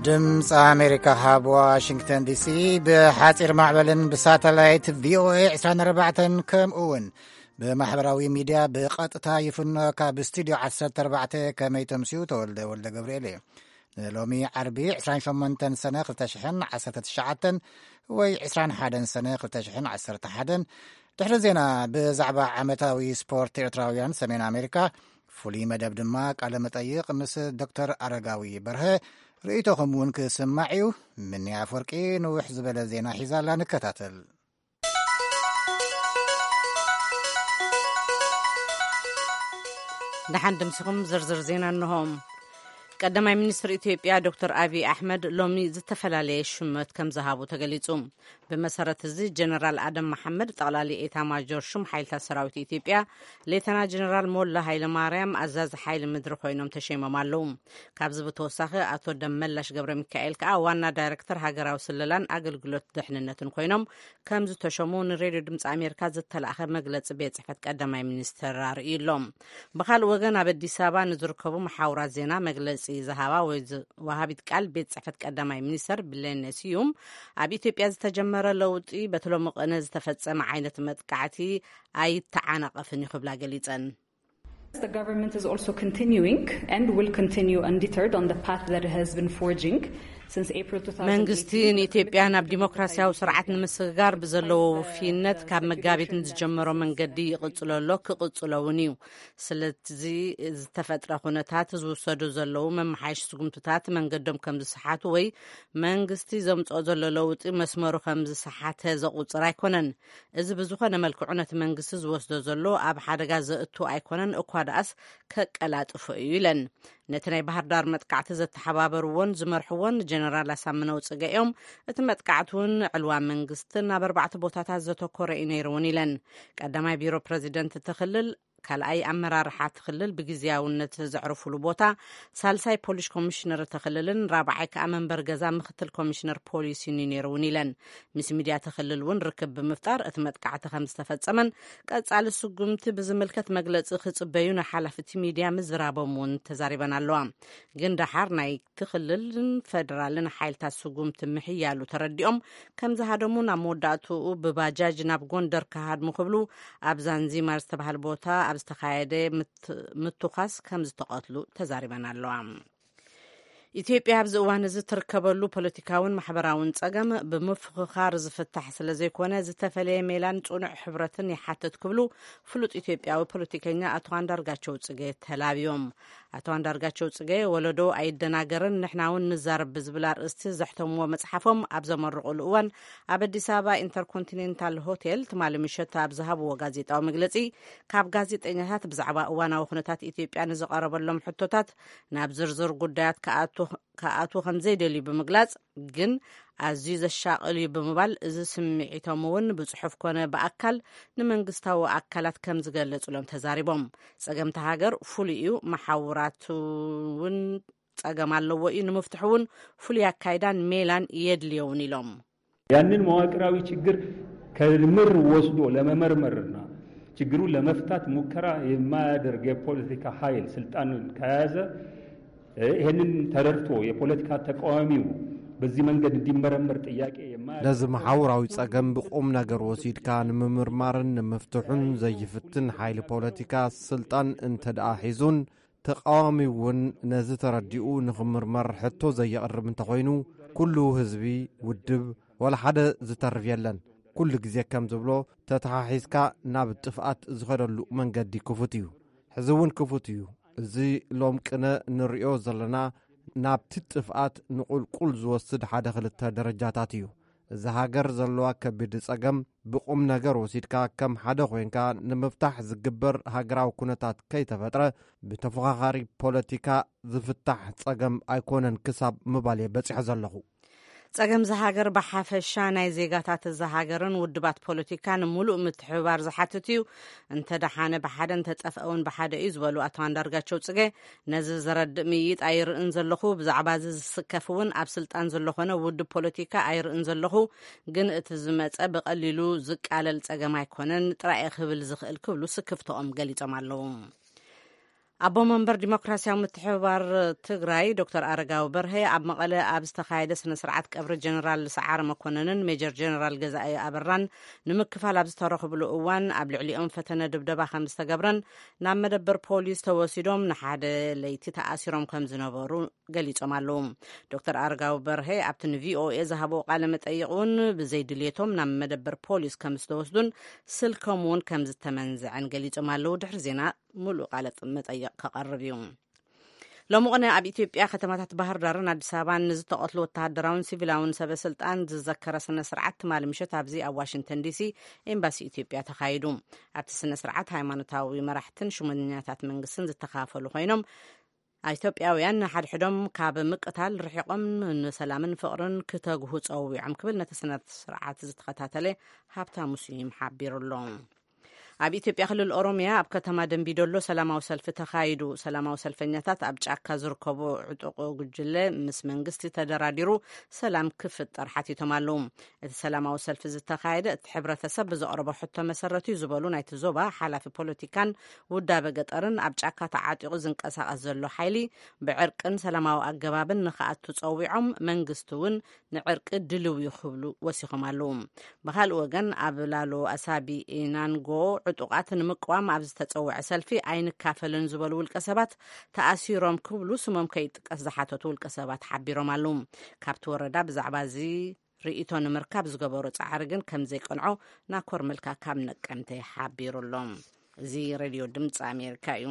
ድምፂ ኣሜሪካ ካብ ዋሽንግተን ዲሲ ብሓፂር ማዕበልን ብሳተላይት ቪኦኤ ዕስራን ኣርባዕተን ከምኡ እውን ብማሕበራዊ ሚድያ ብቐጥታ ይፍኖ። ካብ ስቱድዮ ዓሰርተ ኣርባዕተ ከመይ ተምስዩ? ተወልደ ወልደ ገብርኤል እየ። ንሎሚ ዓርቢ ዕስራን ሸሞንተን ሰነ ክልተ ሽሕን ዓሰርተ ትሽዓተን ወይ ዕስራን ሓደን ሰነ ክልተ ሽሕን ዓሰርተ ሓደን። ድሕሪ ዜና ብዛዕባ ዓመታዊ ስፖርት ኤርትራውያን ሰሜን ኣሜሪካ ፍሉይ መደብ ድማ ቃለ መጠይቕ ምስ ዶክተር ኣረጋዊ በርሀ፣ ርእይቶኹም እውን ክስማዕ እዩ። ምንያ ኣፍወርቂ ንውሕ ዝበለ ዜና ሒዛላ፣ ንከታተል። ደሓን ድምስኹም ዝርዝር ዜና እንሆ። ቀዳማይ ሚኒስትር ኢትዮጵያ ዶክተር ኣቢይ ኣሕመድ ሎሚ ዝተፈላለየ ሽመት ከም ዝሃቡ ተገሊጹ። ብመሰረት እዚ ጀነራል ኣደም መሓመድ ጠቕላሊ ኤታ ማጆር ሹም ሓይልታት ሰራዊት ኢትዮጵያ፣ ሌተና ጀነራል ሞላ ሃይለ ማርያም ኣዛዚ ሓይሊ ምድሪ ኮይኖም ተሸይሞም ኣለዉ። ካብዚ ብተወሳኺ ኣቶ ደመላሽ ገብረ ሚካኤል ከኣ ዋና ዳይሬክተር ሃገራዊ ስለላን ኣገልግሎት ድሕንነትን ኮይኖም ከም ዝተሸሙ ንሬድዮ ድምፂ ኣሜሪካ ዝተላእኸ መግለፂ ቤት ጽሕፈት ቀዳማይ ሚኒስትር ኣርእዩ ኣሎ። ብኻልእ ወገን ኣብ ኣዲስ ኣበባ ንዝርከቡ መሓውራት ዜና መግለፂ ዝሃባ ወይ ዝ- ወሃቢት ቃል ቤት ጽሕፈት ቀዳማይ ሚኒስትር ብሌነ ስዩም ኣብ ኢትዮጵያ ዝተጀመረ ለውጢ በቲ ሎሚ ቅነ ዝተፈጸመ ዓይነት መጥቃዕቲ ኣይተዓናቐፍን እዩ ክብላ ገሊጸን። The government is also continuing and will continue undeterred on the path that it has been forging since April two thousand eighteen. መንግስቲ ንኢትዮጵያ ናብ ዲሞክራሲያዊ ስርዓት ንምስግጋር ብዘለዎ ውፍይነት ካብ መጋቢት ንዝጀመሮ መንገዲ ይቕጽሎ ኣሎ፣ ክቕጽሎ እውን እዩ። ስለዚ ዝተፈጥረ ኩነታት ዝውሰዱ ዘለዉ መመሓየሽ ስጉምትታት መንገዶም ከም ዝሰሓቱ ወይ መንግስቲ ዘምጽኦ ዘሎ ለውጢ መስመሩ ከም ዝሰሓተ ዘቑጽር ኣይኮነን። እዚ ብዝኾነ መልክዑ ነቲ መንግስቲ ዝወስዶ ዘሎ ኣብ ሓደጋ ዘእቱ ኣይኮነን፣ እኳ ደኣስ ከቀላጥፎ እዩ ኢለን። ነቲ ናይ ባህር ዳር መጥቃዕቲ ዘተሓባበርዎን ዝመርሕዎን ጀነራል ኣሳምነው ጽገ እዮም። እቲ መጥቃዕቲ እውን ዕልዋ መንግስትን ኣብ ኣርባዕተ ቦታታት ዘተኮረ እዩ ነይሩ እውን ኢለን። ቀዳማይ ቢሮ ፕረዚደንት እቲ ክልል፣ ካልኣይ ኣመራርሓ እቲ ክልል ብግዝያውነት ዘዕርፉሉ ቦታ፣ ሳልሳይ ፖሊስ ኮሚሽነር እቲ ክልልን ራብዓይ ከኣ መንበር ገዛ ምክትል ኮሚሽነር ፖሊስን እዩ ነይሩ እውን ኢለን። ምስ ሚድያ እቲ ክልል እውን ርክብ ብምፍጣር እቲ መጥቃዕቲ ከም ዝተፈጸመን ቀጻሊ ስጉምቲ ብዝምልከት መግለጺ ክጽበዩ ንሓላፍቲ ሚድያ ምዝራቦም እውን ተዛሪበን ኣለዋ። ግን ደሓር ናይቲ ክልልን ፈደራልን ሓይልታት ስጉምቲ ምሕያሉ ተረዲኦም ከም ዝሃደሙ፣ ናብ መወዳእትኡ ብባጃጅ ናብ ጎንደር ክሃድሙ ክብሉ ኣብ ዛንዚማር ዝተባህለ ቦታ ኣብ ዝተኻየደ ምት- ምትኳስ ከም ዝተቐትሉ ተዛሪበን ኣለዋ። ኢትዮጵያ ኣብዚ እዋን እዚ ትርከበሉ ፖለቲካውን ማሕበራውን ጸገም ብምፍኽኻር ዝፍታሕ ስለ ዘይኮነ ዝተፈለየ ሜላን ጽኑዕ ሕብረትን ይሓትት ክብሉ ፍሉጥ ኢትዮጵያዊ ፖለቲከኛ ኣቶ ኣንዳርጋቸው ጽጌ ተላብዮም። ኣቶ ኣንዳርጋቸው ጽጌ ወለዶ ኣይደናገርን ንሕና እውን ንዛረብ ብዝብል ኣርእስቲ ዘሕተምዎ መጽሓፎም ኣብ ዘመረቑሉ እዋን ኣብ ኣዲስ ኣበባ ኢንተርኮንቲኔንታል ሆቴል ትማሊ ምሸት ኣብ ዝሃብዎ ጋዜጣዊ መግለጺ ካብ ጋዜጠኛታት ብዛዕባ እዋናዊ ኩነታት ኢትዮጵያ ንዝቐረበሎም ሕቶታት ናብ ዝርዝር ጉዳያት ክኣቱ ከም ዘይደልዩ ብምግላጽ፣ ግን ኣዝዩ ዘሻቕል እዩ ብምባል፣ እዚ ስምዒቶም እውን ብጽሑፍ ኮነ ብኣካል ንመንግስታዊ ኣካላት ከም ዝገለጹሎም ተዛሪቦም። ጸገምቲ ሃገር ፍሉይ እዩ፣ መሓውራት እውን ጸገም ኣለዎ እዩ፣ ንምፍትሑ እውን ፍሉይ ኣካይዳን ሜላን የድልዮ እውን ኢሎም። ያንን መዋቅራዊ ችግር ከምር ወስዶ ለመመርመርና ችግሩን ለመፍታት ሙከራ የማያደርግ የፖለቲካ ኃይል ስልጣን ከያዘ፣ ይህንን ተረድቶ የፖለቲካ ተቃዋሚው በዚህ መንገድ እንዲመረመር ጥያቄ የማያደርግ ነዚ መሓውራዊ ጸገም ብቁም ነገር ወሲድካ ንምምርማርን ንምፍትሑን ዘይፍትን ሓይሊ ፖለቲካ ስልጣን እንተ ደኣ ሒዙን ተቃዋሚ እውን ነዚ ተረዲኡ ንኽምርመር ሕቶ ዘየቕርብ እንተኾይኑ፣ ኩሉ ህዝቢ፣ ውድብ፣ ወላ ሓደ ዝተርፍ የለን። ኩሉ ግዜ ከም ዝብሎ፣ ተተሓሒዝካ ናብ ጥፍኣት ዝኸደሉ መንገዲ ክፉት እዩ። ሕዚ እውን ክፉት እዩ። እዚ ሎም ቅነ ንርእዮ ዘለና ናብቲ ጥፍኣት ንቁልቁል ዝወስድ ሓደ ክልተ ደረጃታት እዩ። እዛ ሃገር ዘለዋ ከቢድ ጸገም ብቁም ነገር ወሲድካ ከም ሓደ ኮይንካ ንምፍታሕ ዝግበር ሃገራዊ ኩነታት ከይተፈጥረ ብተፎኻኻሪ ፖለቲካ ዝፍታሕ ጸገም ኣይኮነን ክሳብ ምባል እየ በጺሐ ዘለኹ። ጸገም እዛ ሃገር ብሓፈሻ ናይ ዜጋታት እዛ ሃገርን ውድባት ፖለቲካን ምሉእ ምትሕብባር ዝሓትት እዩ። እንተ ደሓነ ብሓደ እንተጠፍአ እውን ብሓደ እዩ ዝበሉ ኣቶ ኣንዳርጋቸው ጽጌ፣ ነዚ ዘረድእ ምይይጥ ኣይርእን ዘለኹ። ብዛዕባ እዚ ዝስከፍ እውን ኣብ ስልጣን ዘሎ ኾነ ውድብ ፖለቲካ ኣይርእን ዘለኹ። ግን እቲ ዝመጸ ብቐሊሉ ዝቃለል ጸገም ኣይኮነን ጥራይ ክብል ዝኽእል ክብሉ ስክፍትኦም ገሊጾም ኣለዉ። ኣቦ መንበር ዲሞክራሲያዊ ምትሕብባር ትግራይ ዶክተር ኣረጋዊ በርሀ ኣብ መቐለ ኣብ ዝተኻየደ ስነ ስርዓት ቀብሪ ጀነራል ሰዓረ መኮነንን ሜጀር ጀነራል ገዛኢ ኣበራን ንምክፋል ኣብ ዝተረኽብሉ እዋን ኣብ ልዕሊኦም ፈተነ ድብደባ ከም ዝተገብረን ናብ መደበር ፖሊስ ተወሲዶም ንሓደ ለይቲ ተኣሲሮም ከም ዝነበሩ ገሊጾም ኣለዉ። ዶክተር ኣረጋዊ በርሀ ኣብቲ ንቪኦኤ ዝሃብዎ ቃለ መጠይቕ እውን ብዘይ ድልየቶም ናብ መደበር ፖሊስ ከም ዝተወስዱን ስልኮም እውን ከም ዝተመንዘዐን ገሊጾም ኣለዉ። ድሕሪ ዜና ሙሉእ ቃለ መጠይቕ ከቐርብ እዩ። ሎሚ ቅነ ኣብ ኢትዮጵያ ከተማታት ባህር ዳርን ኣዲስ ኣበባን ንዝተቐትሉ ወተሃደራውን ሲቪላውን ሰበ ስልጣን ዝዘከረ ስነ ስርዓት ትማሊ ምሸት ኣብዚ ኣብ ዋሽንግተን ዲሲ ኤምባሲ ኢትዮጵያ ተኻይዱ። ኣብቲ ስነ ስርዓት ሃይማኖታዊ መራሕትን ሽሞኛታት መንግስትን ዝተኻፈሉ ኮይኖም፣ ኢትዮጵያውያን ንሓድሕዶም ካብ ምቅታል ርሒቆም ንሰላምን ፍቕርን ክተግሁ ጸዊዖም ክብል ነቲ ስነ ስርዓት ዝተኸታተለ ሃብታሙ ስዩም ሓቢሩ ኣሎ። ኣብ ኢትዮጵያ ክልል ኦሮሚያ ኣብ ከተማ ደንቢዶሎ ሰላማዊ ሰልፊ ተኻይዱ። ሰላማዊ ሰልፈኛታት ኣብ ጫካ ዝርከቡ ዕጡቕ ጉጅለ ምስ መንግስቲ ተደራዲሩ ሰላም ክፍጠር ሓቲቶም ኣለዉ። እቲ ሰላማዊ ሰልፊ ዝተኻየደ እቲ ሕብረተሰብ ብዘቕረቦ ሕቶ መሰረት እዩ ዝበሉ ናይቲ ዞባ ሓላፊ ፖለቲካን ውዳበ ገጠርን ኣብ ጫካ ተዓጢቑ ዝንቀሳቐስ ዘሎ ሓይሊ ብዕርቅን ሰላማዊ ኣገባብን ንኽኣቱ ጸዊዖም መንግስቲ እውን ንዕርቂ ድልው እዩ ክብሉ ወሲኾም ኣለዉ። ብኻልእ ወገን ኣብ ላሎ ኣሳቢ ኢናንጎ ዕጡቓት ንምቅዋም ኣብ ዝተጸውዐ ሰልፊ ኣይንካፈልን ዝበሉ ውልቀ ሰባት ተኣሲሮም ክብሉ ስሞም ከይጥቀስ ዝሓተቱ ውልቀ ሰባት ሓቢሮም ኣለዉ። ካብቲ ወረዳ ብዛዕባ እዚ ርእይቶ ንምርካብ ዝገበሮ ጻዕሪ ግን ከም ዘይቀንዖ ናኮር መልካ ካብ ነቀምተ ሓቢሩ ኣሎ። እዚ ሬድዮ ድምፂ ኣሜሪካ እዩ።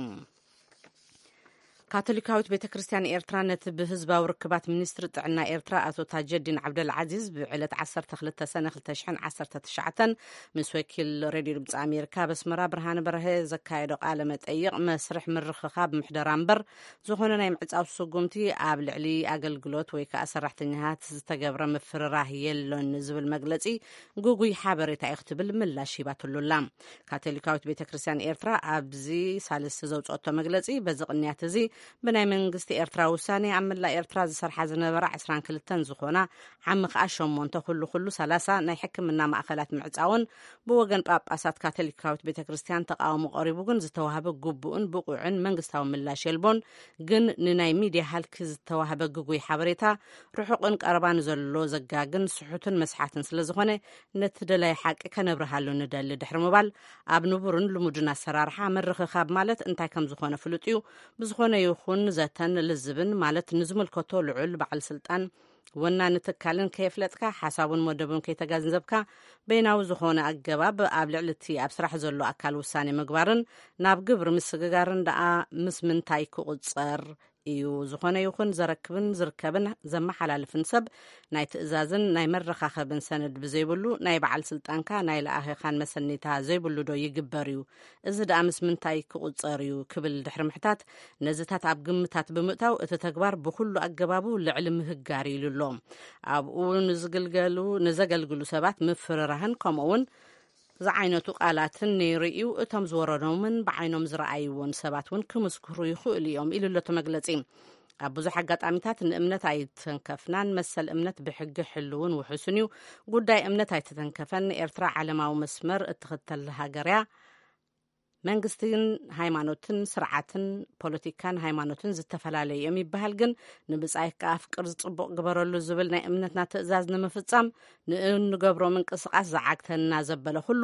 ካቶሊካዊት ቤተ ክርስቲያን ኤርትራ ነቲ ብህዝባዊ ርክባት ሚኒስትሪ ጥዕና ኤርትራ ኣቶ ታጀዲን ዓብደል ዓዚዝ ብዕለት ዓሰርተ ክልተ ሰነ ክልተ ሽሕን ዓሰርተ ትሽዓተን ምስ ወኪል ሬድዮ ድምፂ ኣሜሪካ ኣብ ኣስመራ ብርሃነ በርሀ ዘካየዶ ቃለ መጠይቕ መስርሕ ምርኽኻብ ምሕደራ እምበር ዝኾነ ናይ ምዕጻው ስጉምቲ ኣብ ልዕሊ ኣገልግሎት ወይ ከዓ ሰራሕተኛታት ዝተገብረ ምፍርራህ የሎን ዝብል መግለጺ ግጉይ ሓበሬታ እዩ ክትብል ምላሽ ሂባትሉ ኣላ። ካቶሊካዊት ቤተ ክርስቲያን ኤርትራ ኣብዚ ሳልስቲ ዘውፅኦቶ መግለጺ፣ በዚ ቅንያት እዚ ብናይ መንግስቲ ኤርትራ ውሳኔ ኣብ መላእ ኤርትራ ዝሰርሓ ዝነበራ ዕስራን ክልተን ዝኾና ዓሚ ከኣ ሸሞንተ ኩሉ ኩሉ ሰላሳ ናይ ሕክምና ማእኸላት ምዕጻውን ብወገን ጳጳሳት ካቶሊካዊት ቤተ ክርስቲያን ተቃውሞ ቀሪቡ ግን ዝተዋህበ ግቡእን ብቑዕን መንግስታዊ ምላሽ የልቦን። ግን ንናይ ሚድያ ሃልኪ ዝተዋህበ ግጉይ ሓበሬታ ርሑቕን ቀረባን ዘሎ ዘጋግን ስሑትን መስሓትን ስለ ዝኾነ ነቲ ደላይ ሓቂ ከነብርሃሉ ንደሊ ድሕሪ ምባል ኣብ ንቡርን ልሙድን ኣሰራርሓ ምርኽኻብ ማለት እንታይ ከም ዝኾነ ፍሉጥ እዩ። ብዝኾነ ይኹን ዘተን ልዝብን ማለት ንዝምልከቶ ልዑል በዓል ስልጣን ወናኒ ትካልን ከየፍለጥካ ሓሳቡን መደቡን ከይተገንዘብካ በይናዊ ዝኾነ ኣገባብ ኣብ ልዕሊ እቲ ኣብ ስራሕ ዘሎ ኣካል ውሳኔ ምግባርን ናብ ግብሪ ምስግጋርን ደኣ ምስ ምንታይ ክቑጸር እዩ? ዝኾነ ይኹን ዘረክብን ዝርከብን ዘመሓላልፍን ሰብ ናይ ትእዛዝን ናይ መረኻኸብን ሰነድ ብዘይብሉ ናይ በዓል ስልጣንካ ናይ ለኣኺኻን መሰኒታ ዘይብሉ ዶ ይግበር እዩ? እዚ ደኣ ምስ ምንታይ ክቑጸር እዩ ክብል ድሕሪ ምሕታት፣ ነዚታት ኣብ ግምታት ብምእታው እቲ ተግባር ብኹሉ ኣገባቡ ልዕሊ ምህጋር ኢሉ ኣሎ። ኣብኡ ንዝግልገሉ ንዘገልግሉ ሰባት ምፍርራህን ከምኡ እውን ዝዓይነቱ ቃላትን ነይሩ እዩ። እቶም ዝወረዶምን ብዓይኖም ዝረኣይዎን ሰባት እውን ክምስክሩ ይኽእሉ እዮም ኢሉ ኣሎ እቲ መግለጺ። ኣብ ብዙሕ ኣጋጣሚታት ንእምነት ኣይተንከፍናን፣ መሰል እምነት ብሕጊ ሕልውን ውሑስን እዩ። ጉዳይ እምነት ኣይተተንከፈን። ኤርትራ ዓለማዊ መስመር እትኽተል ሃገር እያ። መንግስትን ሃይማኖትን ስርዓትን ፖለቲካን ሃይማኖትን ዝተፈላለዩ እዮም ይበሃል፣ ግን ንብጻይካ ኣፍቅር ጽቡቕ ግበረሉ ዝብል ናይ እምነትና ትእዛዝ ንምፍጻም ንእንገብሮ ምንቅስቓስ ዝዓግተና ዘበለ ኩሉ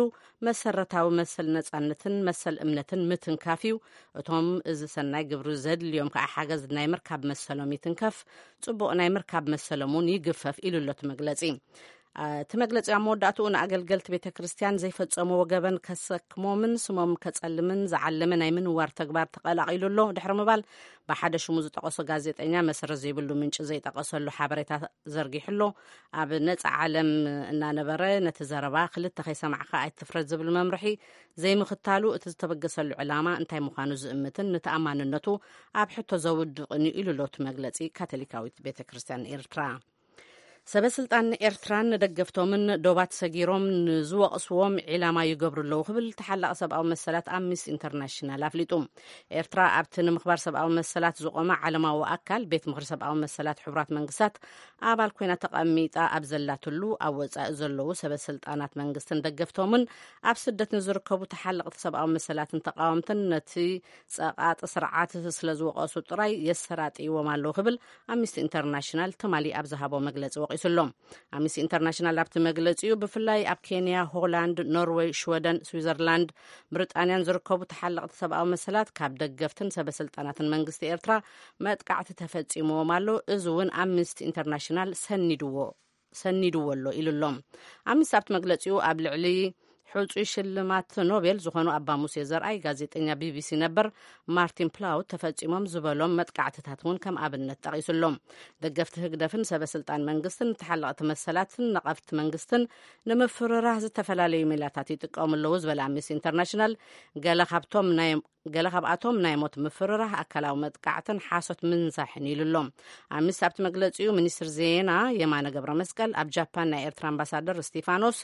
መሰረታዊ መሰል ነጻነትን መሰል እምነትን ምትንካፍ እዩ። እቶም እዚ ሰናይ ግብሪ ዘድልዮም ከዓ ሓገዝ ናይ ምርካብ መሰሎም ይትንከፍ፣ ጽቡቕ ናይ ምርካብ መሰሎም እውን ይግፈፍ ኢሉ ኣሎ እቲ መግለጺ። እቲ መግለጺ ኣብ መወዳእትኡ ንኣገልገልቲ ቤተ ክርስቲያን ዘይፈጸምዎ ገበን ከሰክሞምን ስሞም ከጸልምን ዝዓለመ ናይ ምንዋር ተግባር ተቐላቒሉ ኣሎ ድሕሪ ምባል ብሓደ ሽሙ ዝጠቐሶ ጋዜጠኛ መሰረት ዘይብሉ ምንጪ ዘይጠቐሰሉ ሓበሬታ ዘርጊሑ ኣሎ። ኣብ ነጻ ዓለም እናነበረ ነቲ ዘረባ ክልተ ከይሰማዕካ ኣይትፍረድ ዝብል መምርሒ ዘይምኽታሉ እቲ ዝተበገሰሉ ዕላማ እንታይ ምዃኑ ዝእምትን ንተኣማንነቱ ኣብ ሕቶ ዘውድቕን እዩ ኢሉ ኣሎ እቲ መግለጺ ካቶሊካዊት ቤተ ክርስቲያን ኤርትራ። ሰበ ስልጣን ኤርትራን ንደገፍቶምን ዶባት ሰጊሮም ንዝወቕስዎም ዒላማ ይገብሩ ኣለዉ ክብል ተሓላቒ ሰብኣዊ መሰላት ኣምኒስቲ ኢንተርናሽናል ኣፍሊጡ። ኤርትራ ኣብቲ ንምኽባር ሰብኣዊ መሰላት ዝቖመ ዓለማዊ ኣካል ቤት ምኽሪ ሰብኣዊ መሰላት ሕቡራት መንግስታት ኣባል ኮይና ተቐሚጣ ኣብ ዘላትሉ፣ ኣብ ወጻኢ ዘለዉ ሰበ ስልጣናት መንግስትን ደገፍቶምን ኣብ ስደት ንዝርከቡ ተሓለቕቲ ሰብኣዊ መሰላትን ተቓወምትን ነቲ ጸቓጢ ስርዓት ስለ ዝወቐሱ ጥራይ የሰራጥይዎም ኣለዉ ክብል ኣምኒስቲ ኢንተርናሽናል ትማሊ ኣብ ዝሃቦ መግለጺ ወቒሱ ኣሎ። ኣምኒስቲ ኢንተርናሽናል ኣብቲ መግለጺኡ፣ ብፍላይ ኣብ ኬንያ፣ ሆላንድ፣ ኖርወይ፣ ሽወደን፣ ስዊዘርላንድ፣ ብሪጣንያን ዝርከቡ ተሓለቕቲ ሰብኣዊ መሰላት ካብ ደገፍትን ሰበ ስልጣናትን መንግስቲ ኤርትራ መጥቃዕቲ ተፈጺምዎም ኣሎ። እዚ እውን ኣምኒስቲ ኢንተርናሽናል ሰኒድዎ ሰኒድዎ ኣሎ ኢሉ ኣሎ። ኣምኒስቲ ኣብቲ መግለጺኡ፣ ኣብ ልዕሊ ሕጹይ ሽልማት ኖቤል ዝኾኑ ኣባ ሙሴ ዘርኣይ፣ ጋዜጠኛ ቢቢሲ ነበር ማርቲን ፕላውት ተፈጺሞም ዝበሎም መጥቃዕትታት እውን ከም ኣብነት ጠቒሱ ኣሎ። ደገፍቲ ህግደፍን ሰበ ስልጣን መንግስትን ንተሓለቕቲ መሰላትን ነቐፍቲ መንግስትን ንምፍርራህ ዝተፈላለዩ ሜላታት ይጥቀሙ ኣለዉ ዝበለ ኣምኒስቲ ኢንተርናሽናል፣ ገለ ካብቶም ናይ ገለ ካብኣቶም ናይ ሞት ምፍርራህ፣ ኣካላዊ መጥቃዕትን ሓሶት ምንዛሕን ኢሉ ኣሎ። ኣምኒስቲ ኣብቲ መግለጺኡ፣ ሚኒስትር ዜና የማነ ገብረ መስቀል ኣብ ጃፓን ናይ ኤርትራ ኣምባሳደር እስቲፋኖስ፣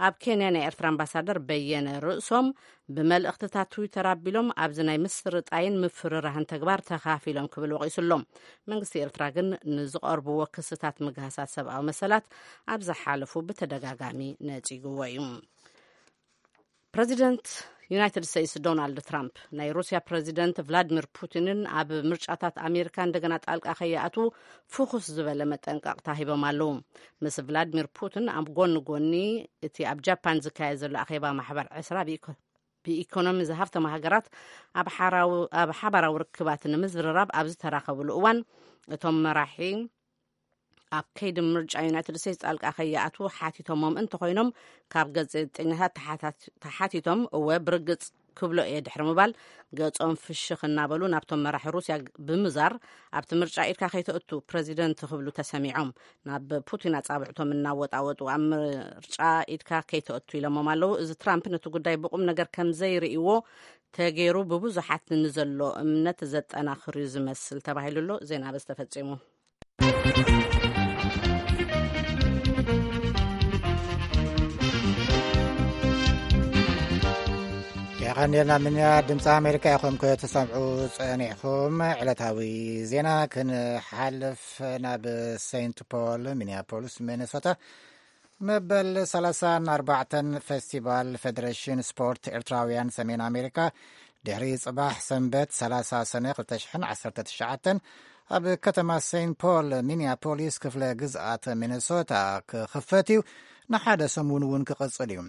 ኣብ ኬንያ ናይ ኤርትራ ኣምባሳደር በየነ ርእሶም ብመልእኽትታት ትዊተር ኣቢሎም ኣብዚ ናይ ምስርጣይን ምፍርራህን ተግባር ተኻፊሎም ክብል ወቒሱ ኣሎ። መንግስቲ ኤርትራ ግን ንዝቐርብዎ ክስታት ምግሃሳት ሰብኣዊ መሰላት ኣብ ዝሓለፉ ብተደጋጋሚ ነጺግዎ እዩ። ፕረዚደንት ዩናይትድ ስቴትስ ዶናልድ ትራምፕ ናይ ሩስያ ፕረዚደንት ቭላድሚር ፑቲንን ኣብ ምርጫታት ኣሜሪካ እንደገና ጣልቃ ከይኣትዉ ፍኹስ ዝበለ መጠንቀቕታ ሂቦም ኣለዉ። ምስ ቭላድሚር ፑቲን ኣብ ጎኒ ጎኒ እቲ ኣብ ጃፓን ዝካየድ ዘሎ ኣኼባ ማሕበር ዕስራ ብኢኮ-፣ ብኢኮኖሚ ዝሃብተማ ሃገራት ኣብ ሓራዊ-፣ ኣብ ሓባራዊ ርክባት ንምዝርራብ ኣብ ዝተራኸብሉ እዋን፣ እቶም መራሒ ኣብ ከይዲ ምርጫ ዩናይትድ ስቴትስ ጣልቃ ከይኣትዉ ሓቲቶሞም እንተኾይኖም፣ ካብ ጋዜጠኛታት ተሓታት-፣ ተሓቲቶም፣ እወ ብርግጽ ክብሎ እየ ድሕሪ ምባል፣ ገጾም ፍሽኽ እናበሉ ናብቶም መራሒ ሩስያ ብምዛር፣ ኣብቲ ምርጫ ኢድካ ከይተእቱ ፕረዚደንት ክብሉ ተሰሚዖም። ናብ ፑቲን ኣጻብዕቶም እናወጣወጡ፣ ኣብ ምርጫ ኢድካ ከይተእቱ ኢሎሞም ኣለዉ። እዚ ትራምፕ ነቲ ጉዳይ ብቁም ነገር ከም ዘይርእይዎ ተገይሩ ብብዙሓት ንዘሎ እምነት ዘጠናኽር እዩ ዝመስል ተባሂሉ ኣሎ። ዜና በዚ ተፈጺሙ። የቐንየልና። ምንያ ድምፂ ኣሜሪካ ኢኹም ክትሰምዑ ጸኒሕኩም። ዕለታዊ ዜና ክንሓልፍ ናብ ሴንት ፖል ሚኒያፖሊስ ሚኔሶታ መበል ሰላሳን ኣርባዕተን ፌስቲቫል ፌደሬሽን ስፖርት ኤርትራውያን ሰሜን ኣሜሪካ ድሕሪ ጽባሕ ሰንበት ሰላሳ ሰነ ክልተ ሽሕን ዓሰርተ ትሽዓተን ኣብ ከተማ ሴንት ፖል ሚኒያፖሊስ ክፍለ ግዝኣት ሚነሶታ ክኽፈት እዩ። ንሓደ ሰሙን እውን ክቕጽል እዩ።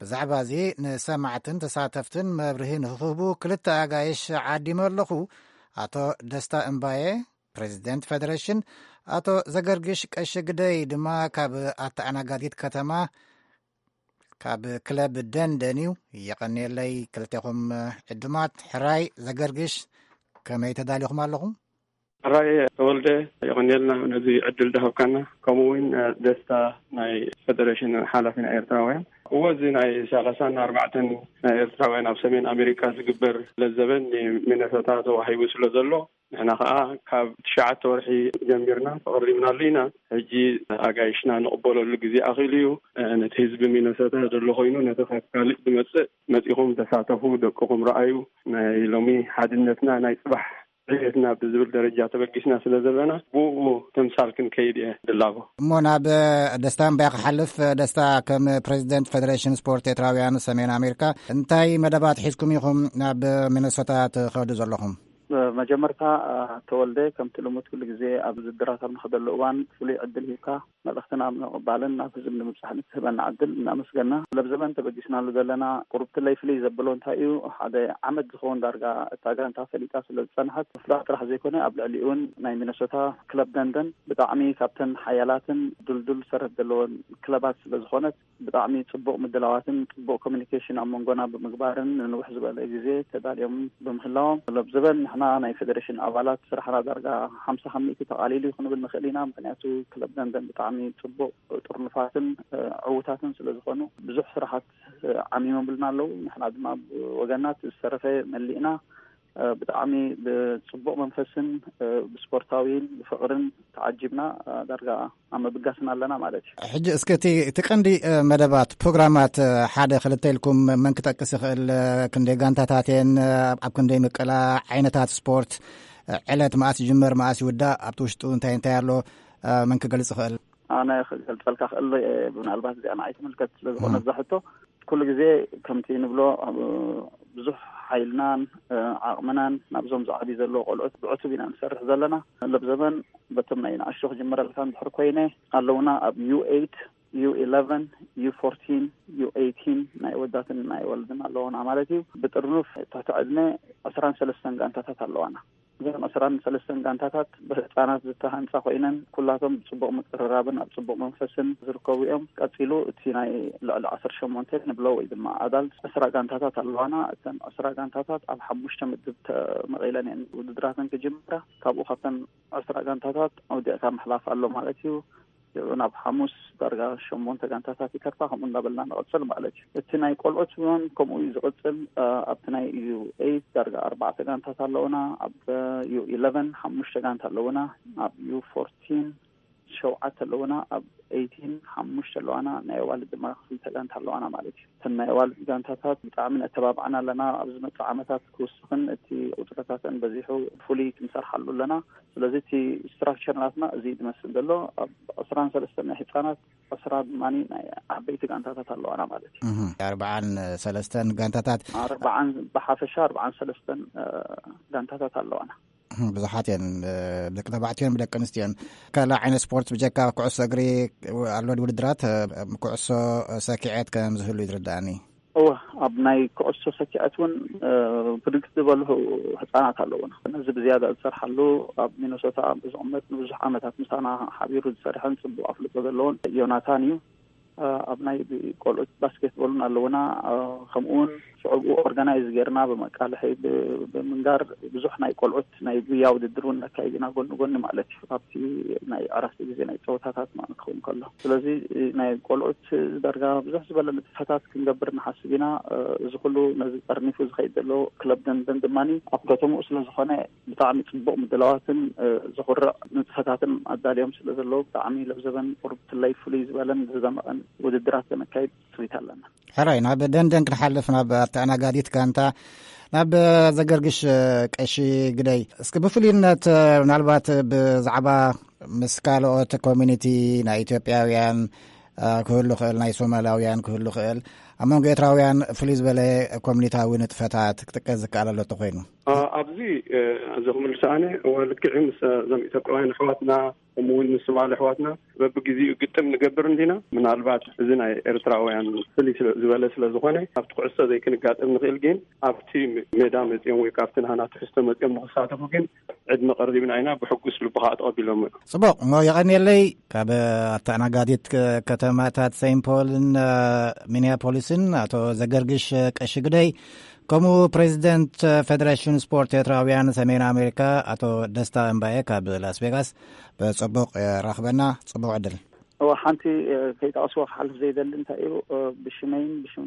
ብዛዕባ እዚ ንሰማዕትን ተሳተፍትን መብርሂ ንክህቡ ክልተ ኣጋይሽ ዓዲመ ኣለኹ። ኣቶ ደስታ እምባየ፣ ፕሬዚደንት ፌደሬሽን፣ ኣቶ ዘገርግሽ ቀሺ ግደይ ድማ ካብ ኣተኣናጋዲት ከተማ ካብ ክለብ ደንደን እዩ። የቐንየለይ ክልቴኹም ዕዱማት። ሕራይ ዘገርግሽ፣ ከመይ ተዳሊኹም ኣለኹም? ሕራይ ተወልደ፣ የቐንየልና ነዚ ዕድል ዝሃብካና፣ ከምኡ እውን ደስታ ናይ ፌደሬሽን ሓላፊ ናይ ኤርትራውያን። እዎ፣ እዚ ናይ ሰላሳን ኣርባዕተን ናይ ኤርትራውያን ኣብ ሰሜን ኣሜሪካ ዝግበር ለዘበን ንሚነሶታ ተዋሂቡ ስለ ዘሎ፣ ንሕና ኸዓ ካብ ትሽዓተ ወርሒ ጀሚርና ተቐሪብናሉ ኢና። ሕጂ ኣጋይሽና ንቕበለሉ ግዜ ኣኺሉ እዩ። ነቲ ህዝቢ ሚነሶታ ዘሎ ኮይኑ፣ ነቲ ካብ ካልእ ዝመጽእ መጺኹም ተሳተፉ፣ ደቅኹም ረኣዩ፣ ናይ ሎሚ ሓድነትና ናይ ጽባሕ ዕቤትና ብዝብል ደረጃ ተበጊስና ስለ ዘለና፣ ብኡ ተምሳል ክንከይድ እየ ድላቦ። እሞ ናብ ደስታ እምባይ ክሓልፍ። ደስታ፣ ከም ፕሬዚደንት ፌደሬሽን ስፖርት ኤርትራውያን ሰሜን ኣሜሪካ፣ እንታይ መደባት ሒዝኩም ኢኹም ናብ ሚነሶታ ትኸዱ ዘለኹም? መጀመርታ፣ ተወልደ፣ ከምቲ ልሙድ ኩሉ ግዜ ኣብ ውድድራት ኣብ ንኸደሉ እዋን ፍሉይ ዕድል ሂብካ መልእኽትና ኣብ ምቕባልን ናብ ህዝቢ ንምብጻሕን እትህበና ዕድል እናመስገና፣ ለብዘበን ተበጊስናሉ ዘለና ቁሩብ ትለይ ፍልይ ዘብሎ እንታይ እዩ፣ ሓደ ዓመት ዝኸውን ዳርጋ እታ ጋንታ ፈሊጣ ስለ ዝጸንሐት፣ ምፍላጥ ጥራሕ ዘይኮነ፣ ኣብ ልዕሊኡ እውን ናይ ሚነሶታ ክለብ ደንደን ብጣዕሚ ካብተን ሓያላትን ድልዱል ሰረት ዘለወን ክለባት ስለ ዝኾነት፣ ብጣዕሚ ጽቡቕ ምድላዋትን ጽቡቕ ኮሚኒኬሽን ኣብ መንጎና ብምግባርን ንንውሕ ዝበለ ግዜ ተዳልዮም ብምህላዎም፣ ለብዘበን ንሕና ናይ ፌደሬሽን ኣባላት ስራሕና ዳርጋ ሓምሳ ካብ ሚእቲ ተቓሊሉ እዩ ክንብል ንኽእል ኢና። ምኽንያቱ ክለብ ደንደን ብጣዕሚ ጽቡቕ ጥርኑፋትን፣ እ፣ ዕዉታትን ስለ ዝኾኑ፣ ብዙሕ ስራሓት፣ እ፣ ዓሚሞምልና ኣለዉ። ንሕና ድማ ብወገንና እቲ ዝተረፈ መሊእና ብጣዕሚ ብጽቡቕ መንፈስን ብስፖርታዊን ብፍቕርን ተዓጂብና ዳርጋ ኣብ ምብጋስና ኣለና ማለት እዩ። ሕጂ እስከ እቲ እቲ ቀንዲ መደባት ፕሮግራማት ሓደ ክልተ ኢልኩም መን ክጠቅስ ይኽእል? ክንደይ ጋንታታት እየን? ኣብ ክንደይ ምቅላ? ዓይነታት ስፖርት? ዕለት መኣስ ይጅመር መኣስ ይውዳእ? ኣብቲ ውሽጡ እንታይ እንታይ ኣሎ? መን ክገልጽ ይኽእል? ኣነ ክገልጸልካ ክእል ምናልባት እዚኣ ንዓይ ትምልከት ስለ ዝኾነ እዛ ሕቶ ኩሉ ግዜ ከምቲ ንብሎ ብዙሕ ሓይልናን ዓቕምናን ናብዞም ዝዓብዩ ዘለዎ ቆልዑት ብዕቱብ ኢና ንሰርሕ ዘለና። ለብ ዘበን በቶም ናይ ንኣሽቱ ክጅምረልካ እንድሕር ኮይነ ኣለውና ኣብ ዩ ኤይት፣ ዩ ኢለቨን፣ ዩ ፎርቲን፣ ዩ ኤይቲን ናይ ወዳትን ናይ ወልድን ኣለውና ማለት እዩ። ብጥርኑፍ ትሕቲ ዕድመ ዕስራን ሰለስተን ጋንታታት ኣለዋና። እዘን ዕስራን ሰለስተን ጋንታታት ብህፃናት ዝተሃንፃ ኮይነን ኩላቶም ብፅቡቅ ምቅርራብን ኣብ ፅቡቅ መንፈስን ዝርከቡ እዮም። ቀፂሉ እቲ ናይ ልዕሊ ዓሰርተ ሸሞንተ ንብሎ ወይ ድማ ኣዳልት ዕስራ ጋንታታት ኣለዋና። እተን ዕስራ ጋንታታት ኣብ ሓሙሽተ ምድብ ተመቒለን እየን ውድድራተን ክጅምራ። ካብኡ ካብተን ዕስራ ጋንታታት ኣውዲቕካ ምሕላፍ ኣሎ ማለት እዩ። ሽዑ ናብ ሓሙስ ዳርጋ ሸሞንተ ጋንታታት ይተርፋ። ከምኡ እንዳበልና ንቐፅል ማለት እዩ። እቲ ናይ ቆልዑት እውን ከምኡ እዩ ዝቕፅል። ኣብቲ ናይ ዩ ኤይት ዳርጋ ኣርባዕተ ጋንታት ኣለውና። ኣብ ዩ ኢለቨን ሓሙሽተ ጋንታ ኣለውና። ኣብ ዩ ፎርቲን ሸውዓተ ኣለውና። ኣብ ኤይቲን ሓሙሽተ ኣለዋና። ናይ ኣዋልድ ድማ ክልተ ጋንታ ኣለዋና ማለት እዩ። እተን ናይ ኣዋልድ ጋንታታት ብጣዕሚ ነተባብዓን ኣለና። ኣብ ዝመፅእ ዓመታት ክውስኽን እቲ ቁፅርታተን በዚሑ ፍሉይ ክንሰርሓሉ ኣለና። ስለዚ እቲ ስትራክቸር ናትና እዚ ዝመስል ዘሎ ኣብ ዕስራን ሰለስተን ናይ ህፃናት ዕስራ ድማ ናይ ዓበይቲ ጋንታታት ኣለዋና ማለት እዩ። ኣርባዓን ሰለስተን ጋንታታት ኣርባዓን ብሓፈሻ ኣርባዓን ሰለስተን ጋንታታት ኣለዋና። ብዙሓት እየን። ደቂ ተባዕትዮን ብደቂ ኣንስትዮን ካልእ ዓይነት ስፖርት ብጀካ ኩዕሶ እግሪ ኣሎ ውድድራት? ኩዕሶ ሰኪዐት ከም ዝህሉ እዩ ዝርዳእኒ። እወ፣ ኣብ ናይ ኩዕሶ ሰኪዐት እውን ብርግጽ ዝበሉ ህጻናት ኣለውና። ነዚ ብዝያዳ ዝሰርሓሉ ኣብ ሚነሶታ ዝቕመጥ ንብዙሕ ዓመታት ምሳና ሓቢሩ ዝሰርሐን ጽቡቕ ኣፍልጦ ዘለዎን ዮናታን እዩ። ኣብ ናይ ቆልዑት ባስኬትቦልን ኣለውና። ከምኡ እውን ሽዑ ብኡ ኦርጋናይዝ ጌርና ብመቃልሒ ብምንጋር ብዙሕ ናይ ቆልዑት ናይ ጉያ ውድድር እውን ነካይድ ኢና ጎኒ ጎኒ ማለት እዩ። ኣብቲ ናይ ዕረፍቲ ግዜ ናይ ፀወታታት ማለት ክኸውን ከሎ ስለዚ ናይ ቆልዑት ዳርጋ ብዙሕ ዝበለ ንጥፈታት ክንገብር ንሓስብ ኢና። እዚ ኩሉ ነዚ ጠርኒፉ ዝኸይድ ዘሎ ክለብ ደንደን ድማ ኣብ ከተምኡ ስለዝኾነ ብጣዕሚ ፅቡቕ ምድላዋትን ዘኹርዕ ንጥፈታትን ኣዳልዮም ስለ ዘለዉ ብጣዕሚ ለብዘበን ቁርብ ትለይ ፍሉይ ዝበለን ዝደመቐን ውድድራት ከነካይድ ፅሪት ኣለና። ሕራይ ናብ ደንደን ክንሓልፍ ናብ ኣተኣናጋዲት ጋንታ ናብ ዘገርግሽ ቀሺ ግደይ እስኪ ብፍሉይነት ምናልባት ብዛዕባ ምስ ካልኦት ኮሚኒቲ ናይ ኢትዮጵያውያን ክህሉ ክእል ናይ ሶማላውያን ክህሉ ክእል ኣብ መንጎ ኤርትራውያን ፍሉይ ዝበለ ኮሚኒታዊ ንጥፈታት ክጥቀስ ዝከኣል ኣሎ ተኮይኑ ኣብዚ እዚ ክምልስ ኣነ ልክዕ ምስ እዞም ኢትዮጵያውያን ኣሕዋትና ከምኡውን ምስ ሶማሊ ኣሕዋትና በብግዜኡ ግጥም ንገብር እንዲና ምናልባት እዚ ናይ ኤርትራውያን ፍልይ ዝበለ ስለ ዝኾነ ኣብቲ ኩዕሶ ዘይክንጋጥም ንኽእል ግን ኣብቲ ሜዳ መፅኦም ወይ ካብቲ ናህና ትሕዝቶ መፅኦም ንክሳተፉ ግን ዕድመ ቀሪብና ኢና ብሕጉስ ልቢ ከዓ ተቐቢሎም እዮም። ፅቡቕ እሞ የቐንየለይ ካብ ኣተኣናጋዲት ከተማታት ሴንት ፖልን ሚኒያፖሊስን ኣቶ ዘገርግሽ ቀሺ ግደይ ከምኡ ፕሬዚደንት ፌደሬሽን ስፖርት ኤርትራውያን ሰሜን ኣሜሪካ ኣቶ ደስታ እምባየ ካብ ላስ ቬጋስ ብፅቡቕ የራኽበና። ፅቡቕ ዕድል። እወ ሓንቲ ከይጠቐስዎ ክሓልፍ ዘይደሊ እንታይ እዩ ብሽመይን ብሽም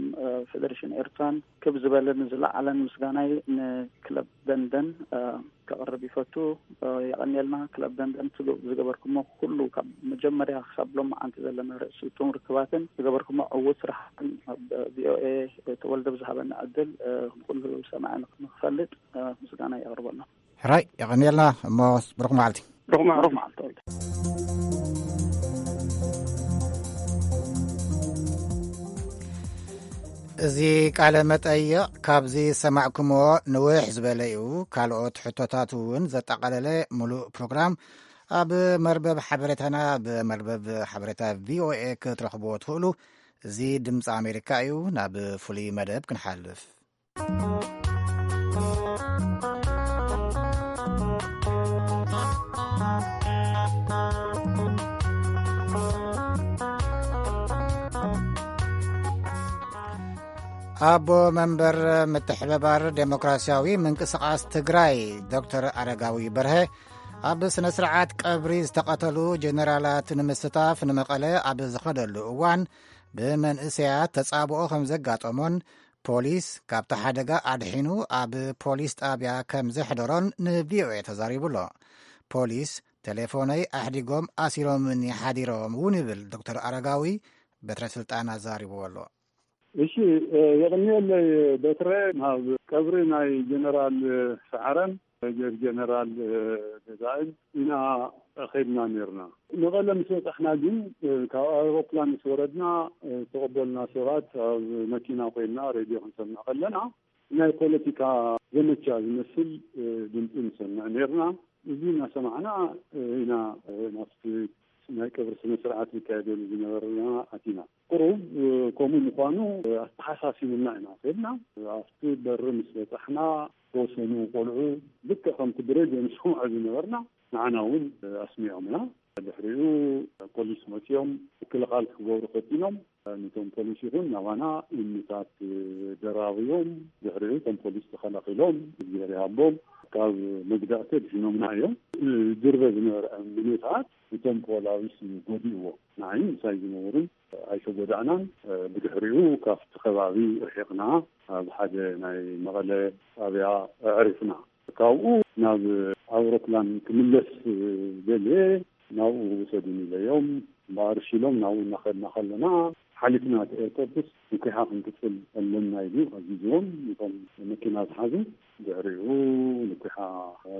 ፌደሬሽን ኤርትራን ክብ ዝበለን ዝለዓለን ምስጋናይ ንክለብ ደንደን ከቕርብ ይፈቱ። የቐንየልና ክለብ ደንደን ዝገበርኩሞ ኩሉ ካብ መጀመርያ ክሳብ ሎም መዓንቲ ዘለና ርእሲ ጥሙር ክባትን ዝገበርኩሞ ዕዉት ስራሕን ኣብ ቪኦኤ ተወልደ ብዝሃበና ዕድል ንኩሉ ሰማዒ ንክፈልጥ ምስጋና የቕርበሎም። ሕራይ የቐንየልና እሞ ብሩኽ መዓልቲ። ብሩኽ መዓልቲ ተወልደ። እዚ ቃለ መጠይቕ ካብዚ ዝሰማዕኩምዎ ንውሕ ዝበለ እዩ። ካልኦት ሕቶታት እውን ዘጠቓለለ ሙሉእ ፕሮግራም ኣብ መርበብ ሓበሬታና፣ ኣብ መርበብ ሓበሬታ ቪኦኤ ክትረኽብዎ ትኽእሉ። እዚ ድምፂ ኣሜሪካ እዩ። ናብ ፍሉይ መደብ ክንሓልፍ። ኣቦ መንበር ምትሕብባር ዴሞክራሲያዊ ምንቅስቓስ ትግራይ ዶክተር ኣረጋዊ በርሀ ኣብ ስነ ስርዓት ቀብሪ ዝተቐተሉ ጀነራላት ንምስታፍ ንመቐለ ኣብ ዝኸደሉ እዋን ብመንእሰያት ተጻብኦ ከም ዘጋጠሞን ፖሊስ ካብቲ ሓደጋ ኣድሒኑ ኣብ ፖሊስ ጣብያ ከም ዘሕደሮን ን ቪ ኦ ኤ ተዛሪቡ ኣሎ። ፖሊስ ቴሌፎነይ ኣሕዲጎም ኣሲሮምኒ ሓዲሮም እውን ይብል ዶክተር ኣረጋዊ በትረ ስልጣን ኣዛሪብዎ ኣሎ። እሺ፣ የቕንየለይ በትረ። ናብ ቀብሪ ናይ ጀነራል ሰዓረን ሜጀር ጀነራል ገዛእን ኢና ከድና ነርና። መቐለ ምስ በፃሕና ግን ካብ ኣውሮፕላን ምስ ወረድና ዝተቐበሉና ሰባት ኣብ መኪና ኮይንና ሬድዮ ክንሰምዕ ከለና ናይ ፖለቲካ ዘመቻ ዝመስል ድምፂ ንሰምዕ ነርና። እዚ እናሰማዕና ኢና ናብቲ ናይ ቀብሪ ስነ ስርዓት ዝካየደሉ ዝነበረና ኣቲና። ቁሩብ ከምኡ ምዃኑ ኣተሓሳሲቡና ኢና ከድና። ኣብቲ በሪ ምስ በፃሕና ዝተወሰኑ ቆልዑ ልክዕ ከምቲ ብሬድዮ ንሰምዖ ዝነበርና ንዓና እውን ኣስሚዖምና። ድሕሪኡ ፖሊስ መፂኦም ምክልኻል ክገብሩ ፈቲኖም። ነቶም ፖሊስ ይኹን ናባና እምንታት ደራብዮም። ድሕሪኡ እቶም ፖሊስ ተኸላኺሎም እግዚኣብሔር ይሃቦም ካብ መግዳእቲ ድሒኖምና እዮም። ዝድርበ ዝነበረ እምንታት እቶም ፖላዊስ ጎዲእዎ። ንዓይ ምሳይ ዝነበሩን ኣይተጎዳእናን። ብድሕሪኡ ካብቲ ከባቢ ርሒቕና ኣብ ሓደ ናይ መቐለ ጣብያ ኣዕሪፍና። ካብኡ ናብ ኣውሮፕላን ክምለስ ደልየ ናብኡ ውሰዱን ኢለዮም። እምበኣር እሺ ኢሎም ናብኡ እናኸድና ከለና ሓሊፍና እቲ ኤርፖርትስ ንኩሓ ክንቅፅል ኣለና ኢሉ ኣዚዝዎም እቶም መኪና ዝሓዙ። ድሕሪኡ ንኩሓ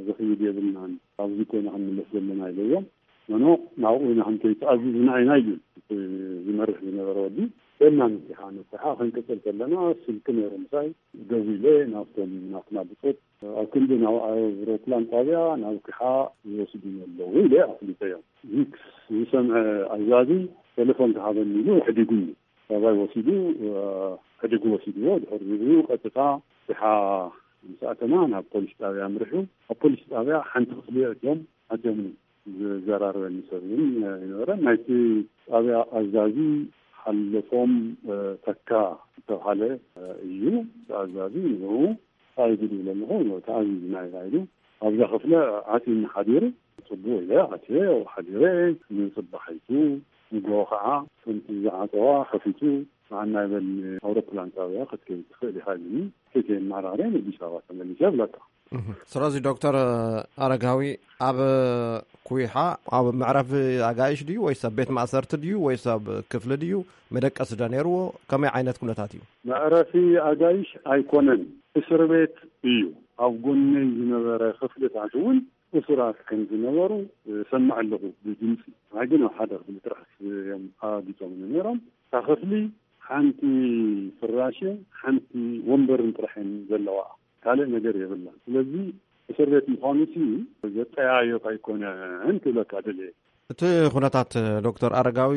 ዝኽይድ የብልናን፣ ኣብዚ ኮይና ክንምለስ ዘለና ኢለዮም። ኖኖ ናብኡ ኢና ክንከይተኣዚዝና ኢና ኢሉ እቲ ዝመርሕ ዝነበረ ወዲ። ደና ንኩሓ ንኩሓ ክንቅፅል ከለና ስልኪ ነይሩ ምሳይ። ደዊለ ናብቶም ናትና ብፆት ኣብ ክንዲ ናብ ኣውሮፕላን ጣብያ ናብ ኩሓ ይወስዱን ኣለዉ ኢለ ኣፍሊጠዮም። ቪክስ ዝሰምዐ ኣዛዚ ቴሌፎን ክሃበኒ ኢሉ ሕዲጉኒ። ካባይ ወሲዱ ሕዲጉ ወሲድዎ። ድሕሪኡ ቀጥታ ኩሓ ምስ ኣተና ናብ ፖሊስ ጣብያ ኣምሪሑ። ኣብ ፖሊስ ጣብያ ሓንቲ ክፍሊ ኣእትዮም ኣትዮም ዝዘራረበኒ ሰብ እውን ይነበረ። ናይቲ ጣብያ ኣዛዚ ሓለፎም ተካ ዝተባሃለ እዩ። እቲ ኣዛዚ ንኡ እንታይ ግዲ ይብለ ኣለኹ ተኣዚዝና ኢና ኢሉ ኣብዛ ክፍለ ዓፂኒ ሓዲሩ። ፅቡቅ ኢለ ኣትየ ሓዲረ። ንፅባሒቱ ንጎ ከዓ ከምቲ ዝዓፀዋ ከፊቱ ንዓና ይበል ኣውሮፕላን ጣብያ ክትከይድ ትኽእል ኢኻ ኢሉኒ። ከይተ የመራርየ ንኣዲስ ኣበባ ተመሊሰ ይብለካ። ስለዚ ዶክተር ኣረጋዊ ኣብ ኩይሓ ኣብ መዕረፊ ኣጋይሽ ድዩ ወይስ ኣብ ቤት ማእሰርቲ ድዩ ወይስ ኣብ ክፍሊ ድዩ? መደቀሲ ዶ ነይርዎ? ከመይ ዓይነት ኩነታት እዩ? መዕረፊ ኣጋይሽ ኣይኮነን፣ እስር ቤት እዩ። ኣብ ጎነይ ዝነበረ ክፍልታት እውን እሱራት ከም ዝነበሩ ሰምዕ ኣለኹ ብድምፂ። ንዓይ ግን ኣብ ሓደ ክፍሊ ጥራሕ እዮም ኣጊፆምኒ ነይሮም። እታ ክፍሊ ሓንቲ ፍራሽን ሓንቲ ወንበርን ጥራሕ እየን ዘለዋ፣ ካልእ ነገር የብላን። ስለዚ እስር ቤት ምዃኑ ሲ ዘጠያየቕ ኣይኮነን ክብለካ ደልየ። እቲ ኩነታት ዶክተር ኣረጋዊ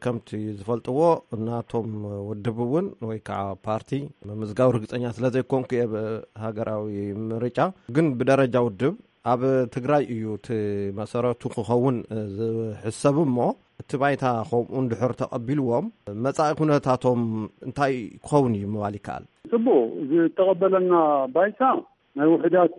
ከምቲ ዝፈልጥዎ ናቶም ውድብ እውን ወይ ከዓ ፓርቲ ምምዝጋብ ርግፀኛ ስለ ዘይኮንኩ እየ ብሃገራዊ ምርጫ ግን ብደረጃ ውድብ ኣብ ትግራይ እዩ እቲ መሰረቱ ክኸውን ዝሕሰብ እሞ እቲ ባይታ ከምኡ እንድሕር ተቐቢልዎም መፃኢ ኩነታቶም እንታይ ክኸውን እዩ ምባል ይከኣል? ፅቡቅ ዝተቐበለና ባይታ ናይ ውሕዳት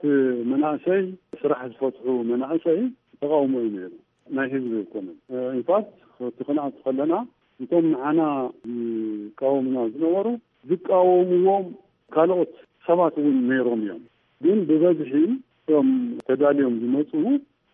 መናእሰይ ስራሕ ዝፈትሑ መናእሰይ ተቃውሞ እዩ ነይሩ። ናይ ህዝቢ ኣይኮነን። ኢንፋክት እቲ ክንኣቱ ከለና እቶም ንዓና ዝቃወሙና ዝነበሩ ዝቃወምዎም ካልኦት ሰባት እውን ነይሮም እዮም። ግን ብበዝሒ እቶም ተዳልዮም ዝመፁ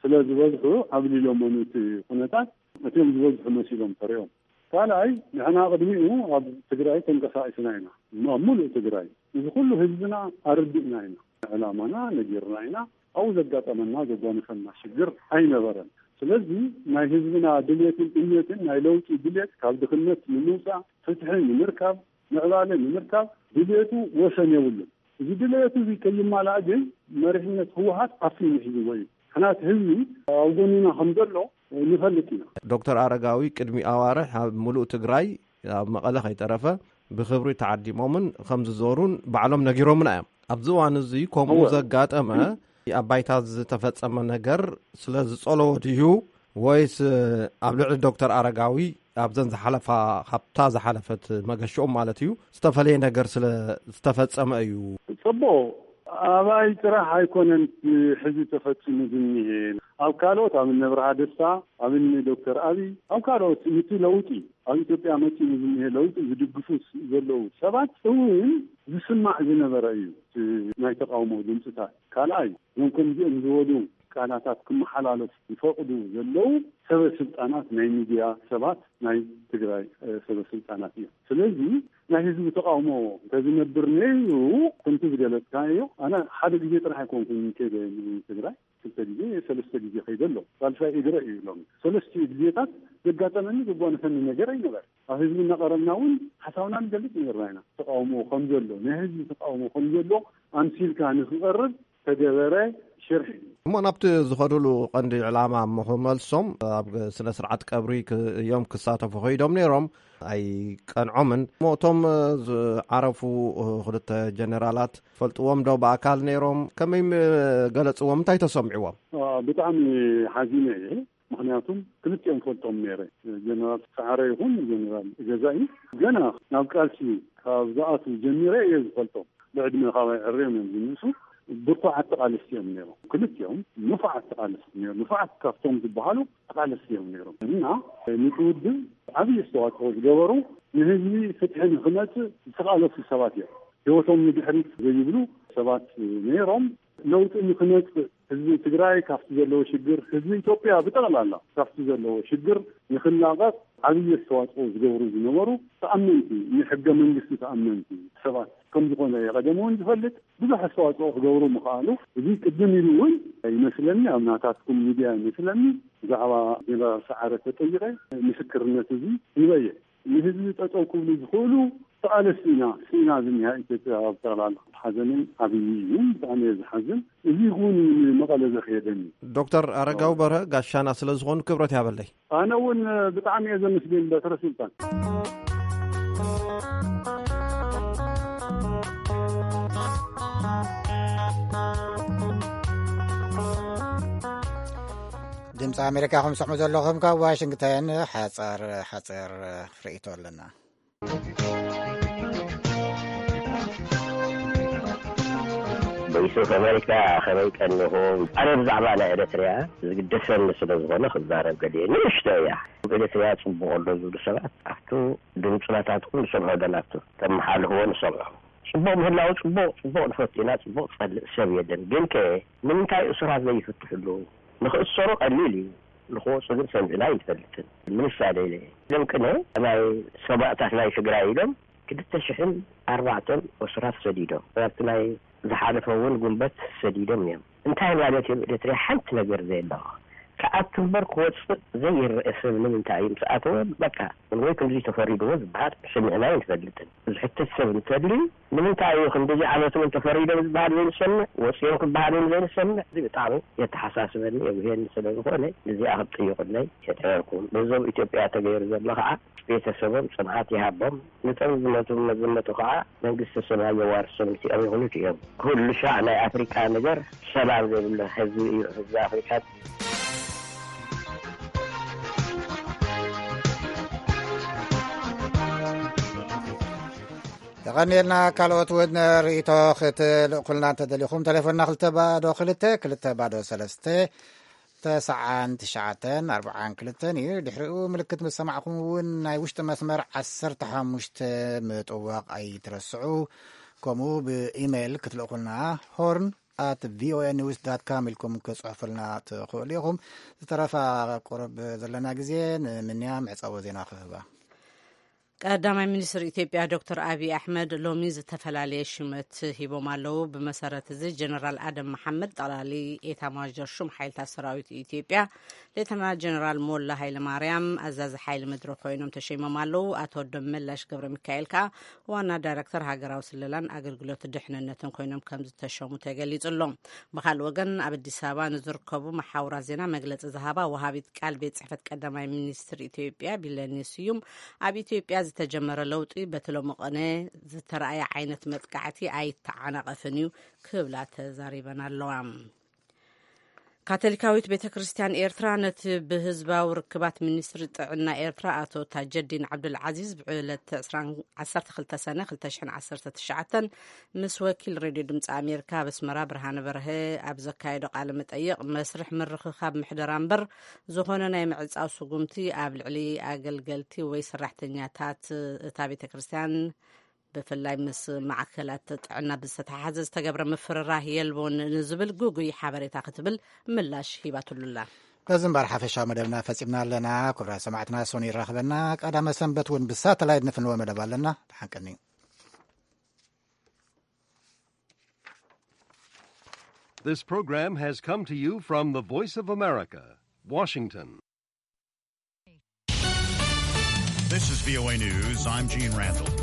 ስለ ዝበዝሑ ኣብሊሎሞ ነቲ ኩነታት እቲኦም ዝበዝሑ መሲሎም ተሪኦም። ካልኣይ ንሕና ቅድሚኡ ኣብ ትግራይ ተንቀሳቂስና ኢና። ኣብ ሙሉእ ትግራይ እዚ ኩሉ ህዝብና ኣረዲእና ኢና። ዕላማና ነጊርና ኢና። ኣብኡ ዘጋጠመና ዘጓነፈና ሽግር ኣይነበረን። ስለዚ ናይ ህዝብና ድልየትን እምነትን ናይ ለውጢ ድልየት ካብ ድኽነት ንምውፃእ ፍትሒ ንምርካብ ምዕባለ ንምርካብ ድልየቱ ወሰን የብሉን። እዚ ድልየቱ እዚ ከይማላእ ግን መሪሕነት ህወሓት ዓፊኑ ሒዝዎ እዩ። ሕናት ህዝቢ ኣብ ጎንና ከም ዘሎ ንፈልጥ ኢና። ዶክተር ኣረጋዊ ቅድሚ ኣዋርሕ ኣብ ሙሉእ ትግራይ ኣብ መቐለ ከይተረፈ ብክብሪ ተዓዲሞምን ከም ዝዞሩን ባዕሎም ነጊሮምና እዮም። ኣብዚ እዋን እዚ ከምኡ ዘጋጠመ ኣብ ባይታ ዝተፈጸመ ነገር ስለ ዝጸለዎ ድዩ ወይስ ኣብ ልዕሊ ዶክተር ኣረጋዊ ኣብዘን ዝሓለፋ ካብታ ዝሓለፈት መገሽኦም ማለት እዩ ዝተፈለየ ነገር ስለ ዝተፈጸመ እዩ? ጽቡቕ ኣባይ ጥራሕ ኣይኮነን ሕዚ ተፈጺሙ ዝኒሄ። ኣብ ካልኦት፣ ኣብ እነ ብርሃ ደስታ፣ ኣብ እነ ዶክተር ኣብይ፣ ኣብ ካልኦት፣ ነቲ ለውጢ፣ ኣብ ኢትዮጵያ መጺኡ ዝኒሄ ለውጢ ዝድግፉ ዘለዉ ሰባት እውን ዝስማዕ ዝነበረ እዩ፣ እቲ ናይ ተቃውሞ ድምፅታት። ካልኣይ፣ እዞም ከምዚኦም ዝበሉ ቃላታት ክመሓላለፍ ዝፈቕዱ ዘለዉ ሰበ ስልጣናት፣ ናይ ሚድያ ሰባት፣ ናይ ትግራይ ሰበ ስልጣናት እዮም። ስለዚ ናይ ህዝቢ ተቃውሞ እንተዝነብር ነይሩ፣ ከምቲ ዝገለጽካዮ፣ ኣነ ሓደ ግዜ ጥራሕ ኣይኮንኩን ከይደ ንትግራይ፣ ክልተ ግዜ፣ ሰለስተ ግዜ ከይደ ኣሎ። ሳልሳይ እግረ እዩ ሎም። ሰለስቲኡ ግዜታት ዘጋጠመኒ ዘጓነፈኒ ነገር ኣይነበረ። ኣብ ህዝቢ እናቐረብና እውን ሓሳብና ንገልጽ ነበርና ኢና። ተቃውሞ ከም ዘሎ፣ ናይ ህዝቢ ተቃውሞ ከም ዘሎ ኣምሲልካ ንክቐርብ ተገበረ ሽርሒ። እሞ ናብቲ ዝኸዱሉ ቀንዲ ዕላማ እሞ ክመልሶም፣ ኣብ ስነ ስርዓት ቀብሪ ክ- እዮም ክሳተፉ ከይዶም ነይሮም። ኣይቀንዖምን። እሞ እቶም ዝዓረፉ ክልተ ጀነራላት ፈልጥዎም ዶ ብኣካል ነይሮም? ከመይ ገለፅዎም? እንታይ ተሰምዕዎም? ብጣዕሚ ሓዚነ እየ። ምክንያቱም ክልቲኦም ፈልጦም ነይረ። ጀነራል ሰዓረ ይኹን ጀነራል ገዛኢ፣ ገና ናብ ቃልሲ ካብ ዝኣትዉ ጀሚረ እየ ዝፈልጦም። ብዕድመ ካባይ ዕርዮም እዮም ዝንእሱ። ብርቱዓት ተቓለስቲ እዮም ነይሮም። ክልቲኦም ንፉዓት ተቓለስቲ ነይሮም። ንፉዓት ካብቶም ዝበሃሉ ተቓለስቲ እዮም ነይሮም። እና ነቲ ውድብ ዓብዪ ኣስተዋፅኦ ዝገበሩ፣ ንህዝቢ ፍትሒ ንክመፅእ ዝተቓለሱ ሰባት እዮም። ህይወቶም ንድሕሪት ዘይብሉ ሰባት ነይሮም። ለውጢ ንክመፅእ፣ ህዝቢ ትግራይ ካብቲ ዘለዎ ሽግር፣ ህዝቢ ኢትዮጵያ ብጠቕላላ ካብቲ ዘለዎ ሽግር ንክላቐቕ ዓብዪ ኣስተዋፅኦ ዝገብሩ ዝነበሩ ተኣመንቲ፣ ንሕገ መንግስቲ ተኣመንቲ ሰባት ከም ዝኾነ እየ ቀደም እውን ዝፈልጥ። ብዙሕ ኣስተዋፅኦ ክገብሩ ምኽኣሉ፣ እዚ ቅድም ኢሉ እውን ይመስለኒ፣ ኣብ ናታትኩም ሚድያ ይመስለኒ፣ ብዛዕባ ጀነራል ሰዓረ ተጠይቐ ምስክርነት እዚ ሂበ እየ። ንህዝቢ ጠጠው ክብሉ ዝኽእሉ ተቓለስቲ ኢና፣ ስኢና ዝኒሃ ኢትዮጵያ ኣብ ጠቕላላ። ሓዘነይ ዓብዪ እዩ፣ ብጣዕሚ እየ ዝሓዝን። እዚ እውን ንመቐለ ዘኽየደኒ። ዶክተር ኣረጋዊ በርሀ ጋሻና ስለ ዝኾኑ ክብረት ያበለይ። ኣነ እውን ብጣዕሚ እየ ዘመስግን በትረ ስልጣን። ድምፂ ኣሜሪካ ከም ትሰምዑ ዘለኹም ካብ ዋሽንግተን ሓፀር ሓፀር ርእይቶ ኣለና። ቮይስ ኦፍ ኣሜሪካ፣ ከመይ ቀኒኹም? ኣነ ብዛዕባ ናይ ኤርትርያ ዝግደሰኒ ስለ ዝኾነ ክዛረብ ገሊየ። ንእሽቶ እያ። ኤርትርያ ጽቡቕ ኣሎ ዝብሉ ሰባት ኣብቱ ድምፂ ናታትኩም ንሰምዖ፣ ደናቱ ተመሓልፍዎ ንሰምዖ። ጽቡቕ ምህላው ጽቡቕ፣ ጽቡቕ ንፈቱ ኢና፣ ጽቡቕ ጸልእ ሰብ የለን። ግን ከ ንምንታይ እሱራት ዘይፍትሕሉ? ንኽእሰሩ ቀሊል እዩ፣ ንኽወፁ ግን ሰሚዕና ኣይንፈልጥን። ንምሳሌ ኢለ፣ እዞም ቅነ ናይ ሰማእታት ናይ ትግራይ ኢሎም ክልተ ሽሕን ኣርባዕተን እሱራት ሰዲዶም፣ ኣብቲ ናይ ዝሓለፈ እውን ጉንበት ሰዲዶም እዮም። እንታይ ማለት እዮም? ኤርትርያ ሓንቲ ነገር ዘየለዋ ክኣቱ እምበር ክወፅእ ዘይረአ ሰብ ንምንታይ እዩ ምስ ኣተወ በቃ ወይ ከምዚ ተፈሪድዎ ዝበሃል ሰሚዕና ኣይንፈልጥን። ዝሕተት ሰብ እንተልዩ ንምንታይ እዩ ክንዲዚ ዓመት እውን ተፈሪዶም ዝበሃል ዘይንሰምዕ፣ ወፂኦም ክበሃል እውን ዘይንሰምዕ? እዚ ብጣዕሚ የተሓሳስበኒ የጉህየኒ ስለ ዝኾነ እዚኣ ክትጥይቁለይ የጥዕርኩም። በዞም ኢትዮጵያ ተገይሩ ዘሎ ከዓ ቤተሰቦም ጽንዓት ይሃቦም፣ ነቶም ዝሞቱ መዝነቱ ከዓ መንግስተ ሰማይ የዋርሶም። እዚኦም ይኹኑ እዮም። ኩሉ ሻዕ ናይ ኣፍሪቃ ነገር ሰላም ዘይብሉ ህዝቢ እዩ ህዝቢ ኣፍሪቃ። የቐንየልና። ካልኦት እውን ርእይቶ ክትልእኩልና እንተደሊኹም፣ ቴሌፎንና ክልተ ባዶ ክልተ ክልተ ባዶ ሰለስተ፣ ተስዓን ትሽዓተን ኣርብዓን ክልተን እዩ። ድሕሪኡ ምልክት ምስ ሰማዕኹም እውን ናይ ውሽጢ መስመር ዓሰርተ ሓሙሽተ ምጥዋቕ ኣይትረስዑ። ከምኡ ብኢሜይል ክትልእኩልና፣ ሆርን ኣት ቪኦኤ ኒውስ ዳት ካም ኢልኩም ክጽሕፉልና ትኽእሉ ኢኹም። ዝተረፈ ቁሩብ ዘለና ግዜ ንምንያ መዕጸዊ ዜና ክህባ። ቀዳማይ ሚኒስትር ኢትዮጵያ ዶክተር ኣብይ ኣሕመድ ሎሚ ዝተፈላለየ ሽመት ሂቦም ኣለዉ። ብመሰረት እዚ ጀነራል ኣደም መሓመድ ጠቕላሊ ኤታማዦር ሹም ሓይልታት ሰራዊት ኢትዮጵያ፣ ሌተና ጀነራል ሞላ ሃይለማርያም ኣዛዚ ሓይሊ ምድሪ ኮይኖም ተሸይሞም ኣለዉ። ኣቶ ደመላሽ ገብረ ሚካኤል ከኣ ዋና ዳይረክተር ሃገራዊ ስለላን ኣገልግሎት ድሕንነትን ኮይኖም ከም ዝተሸሙ ተገሊጹ ኣሎ። ብኻልእ ወገን ኣብ ኣዲስ ኣበባ ንዝርከቡ መሓውራት ዜና መግለጺ ዝሃባ ወሃቢት ቃል ቤት ጽሕፈት ቀዳማይ ሚኒስትር ኢትዮጵያ ቢለኔ ስዩም፣ ኣብ ኢትዮጵያ ዝተጀመረ ለውጢ በቲ ሎሚ ቅነ ዝተረኣየ ዓይነት መጥቃዕቲ ኣይተዓናቐፍን እዩ ክብላ ተዛሪበን ኣለዋ። ካቶሊካዊት ቤተ ክርስቲያን ኤርትራ ነቲ ብህዝባዊ ርክባት ሚኒስትሪ ጥዕና ኤርትራ ኣቶ ታጀዲን ዓብዱልዓዚዝ ብዕለት ዓሰርተ ክልተ ሰነ ክልተ ሽሕን ዓሰርተ ትሽዓተን ምስ ወኪል ሬድዮ ድምፂ ኣሜሪካ ኣብ ኣስመራ ብርሃነ በርሀ ኣብ ዘካየዶ ቃለ መጠይቕ፣ መስርሕ ምርኽኻብ ምሕደራ እምበር ዝኾነ ናይ ምዕጻው ስጉምቲ ኣብ ልዕሊ ኣገልገልቲ ወይ ሰራሕተኛታት እታ ቤተ ክርስቲያን ብፍላይ ምስ ማዕከላት ጥዕና ብዝተተሓሓዘ ዝተገብረ ምፍርራህ የልቦን ንዝብል ግጉይ ሓበሬታ ክትብል ምላሽ ሂባትሉላ። በዚ እምበር ሓፈሻዊ መደብና ፈጺምና ኣለና። ክቡራት ሰማዕትና፣ ሶኒ ይራኽበና። ቀዳመ ሰንበት እውን ብሳተላይት ንፍንወ መደብ ኣለና። ተሓንቀኒ። This program has come to you from the Voice of America, Washington. This is V O A News. I'm Gene Randall.